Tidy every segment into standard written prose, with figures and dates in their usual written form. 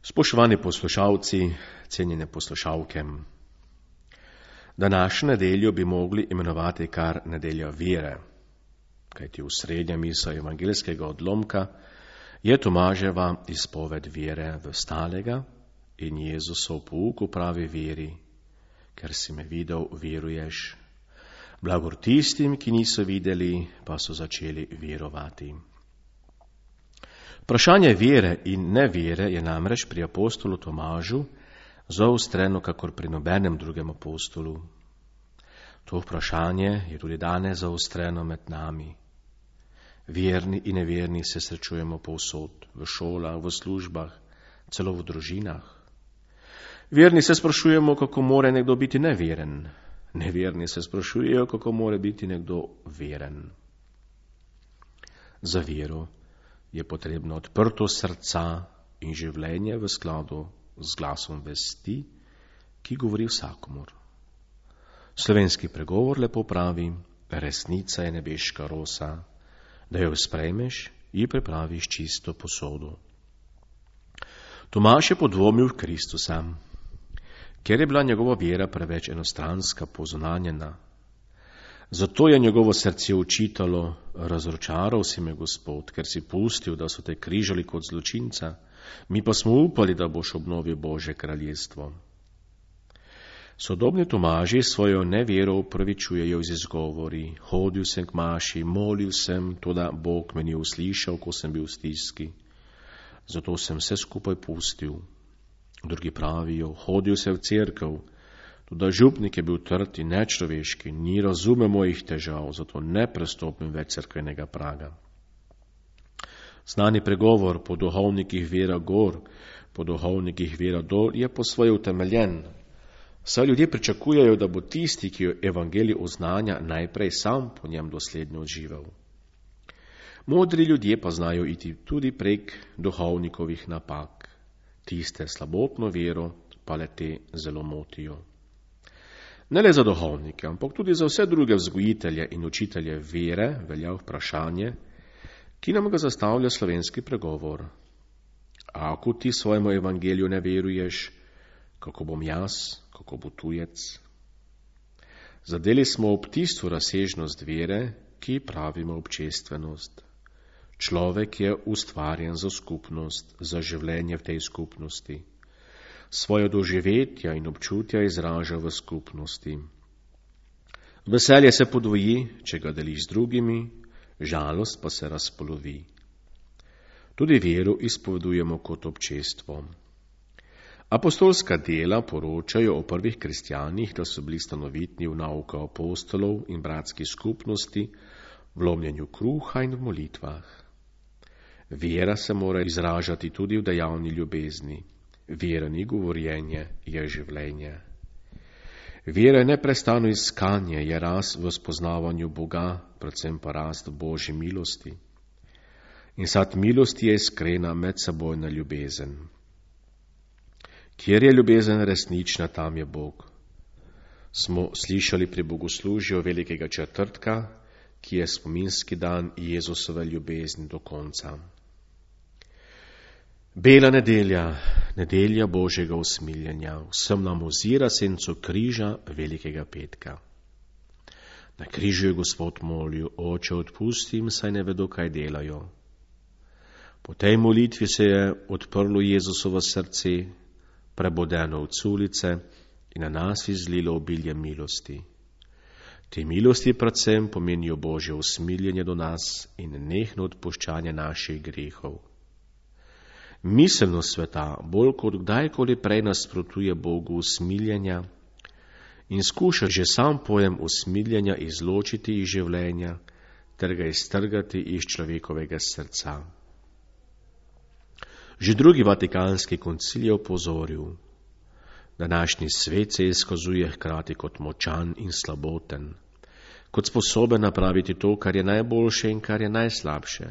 Spoštovani poslušalci, cenjene poslušalke, današnjo nedeljo bi mogli imenovati kar nedelja vere, kajti osrednja misel evangeljskega odlomka je Tomaževa izpoved vere v stalega in Jezusov pouk o pravi veri, ker si me videl, veruješ. Blagor tistim, ki niso videli, pa so začeli verovati. Vprašanje vere in nevere je namreč pri apostolu Tomažu zaostreno kakor pri nobenem drugem apostolu. To vprašanje je tudi danes zaostreno med nami. Verni in neverni se srečujemo povsod, v šolah, v službah, celo v družinah. Verni se sprašujemo, kako more nekdo biti neveren. Neverni se sprašujejo, kako more biti nekdo veren. Za vero je potrebno odprto srca in življenje v skladu z glasom vesti, ki govori vsakomur. Slovenski pregovor lepo pravi, resnica je nebeška rosa, da jo sprejmeš, ji pripraviš čisto posodo. Tomaž je podvomil v Kristusa, ker je bila njegova vera preveč enostranska, pozunanjena. Zato je njegovo srce učitalo, razočaral si me, Gospod, ker si pustil, da so te križali kot zločinca, mi pa smo upali, da boš obnovil Božje kraljestvo. Sodobni Tomaži svojo nevero upravičujejo z izgovori, hodil sem k maši, molil sem, toda Bog me ni uslišal, ko sem bil v stiski. Zato sem vse skupaj pustil. Drugi pravijo, hodil sem v cerkev, toda župnik je bil trd in nečloveški, ni razumel mojih težav, zato ne prestopim več cerkvenega praga. Znani pregovor po duhovnikih vera gor, po duhovnikih vera dol je po svoje utemeljen. Saj ljudje pričakujejo, da bo tisti, ki jo evangelij oznanja, najprej sam po njem dosledno odživel. Modri ljudje pa znajo iti tudi prek duhovnikovih napak. Tiste slabotno vero pa le te zelo motijo. Ne le za duhovnike, ampak tudi za vse druge vzgojitelje in učitelje vere velja vprašanje, ki nam ga zastavlja slovenski pregovor. Ako ti svojemu evangeliju ne veruješ, kako bom jaz, kako bo tujec? Zadeli smo ob tisto razsežnost vere, ki pravimo občestvenost. Človek je ustvarjen za skupnost, za življenje v tej skupnosti. Svoje doživetja in občutja izraža v skupnosti. Veselje se podvoji, če ga deliš z drugimi, žalost pa se razpolovi. Tudi vero izpovedujemo kot občestvo. Apostolska dela poročajo o prvih kristjanih, da so bili stanovitni v nauka apostolov in bratski skupnosti, v lomljenju kruha in v molitvah. Vera se mora izražati tudi v dejavni ljubezni. Vera ni govorjenje, je življenje. Vera je neprestano iskanje, je rast v spoznavanju Boga, predvsem pa rast v Božji milosti. In sad milosti je iskrena medsebojna ljubezen. Kjer je ljubezen resnična, tam je Bog. Smo slišali pri bogoslužju velikega četrtka, ki je spominski dan Jezusove ljubezni do konca. Bela nedelja, nedelja Božjega usmiljenja, vsem nam ozira senco križa velikega petka. Na križu je Gospod molil, Oče, odpusti jim, saj ne vedo, kaj delajo. Po tej molitvi se je odprlo Jezusovo srce, prebodeno od sulice in na nas izlilo obilje milosti. Te milosti predvsem pomenijo Božje usmiljenje do nas in nenehno odpuščanje naših grehov. Miselnost sveta bolj kot kdajkoli prej nasprotuje Bogu usmiljenja in skuša že sam pojem usmiljenja izločiti iz življenja ter ga iztrgati iz človekovega srca. Že drugi vatikanski koncil je opozoril, današnji svet se izkazuje hkrati kot močan in slaboten, kot sposoben napraviti to, kar je najboljše in kar je najslabše.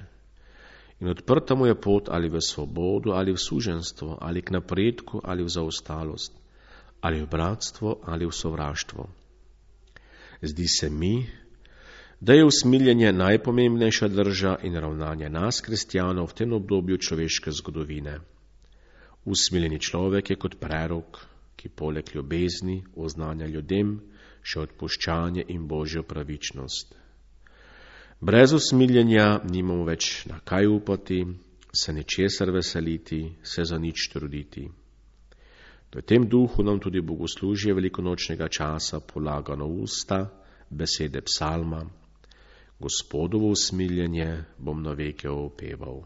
In odprta mu je pot ali v svobodo, ali v suženstvo, ali k napredku, ali v zaostalost, ali v bratstvo, ali v sovraštvo. Zdi se mi, da je usmiljenje najpomembnejša drža in ravnanje nas, kristjanov, v tem obdobju človeške zgodovine. Usmiljeni človek je kot prerok, ki poleg ljubezni oznanja ljudem še odpuščanje in Božjo pravičnost. Brez usmiljenja nimamo več na kaj upati, se ničesar veseliti, se za nič truditi. V tem duhu nam tudi bogoslužje velikonočnega časa polaga na usta besede psalma: Gospodovo usmiljenje bom na veke opeval.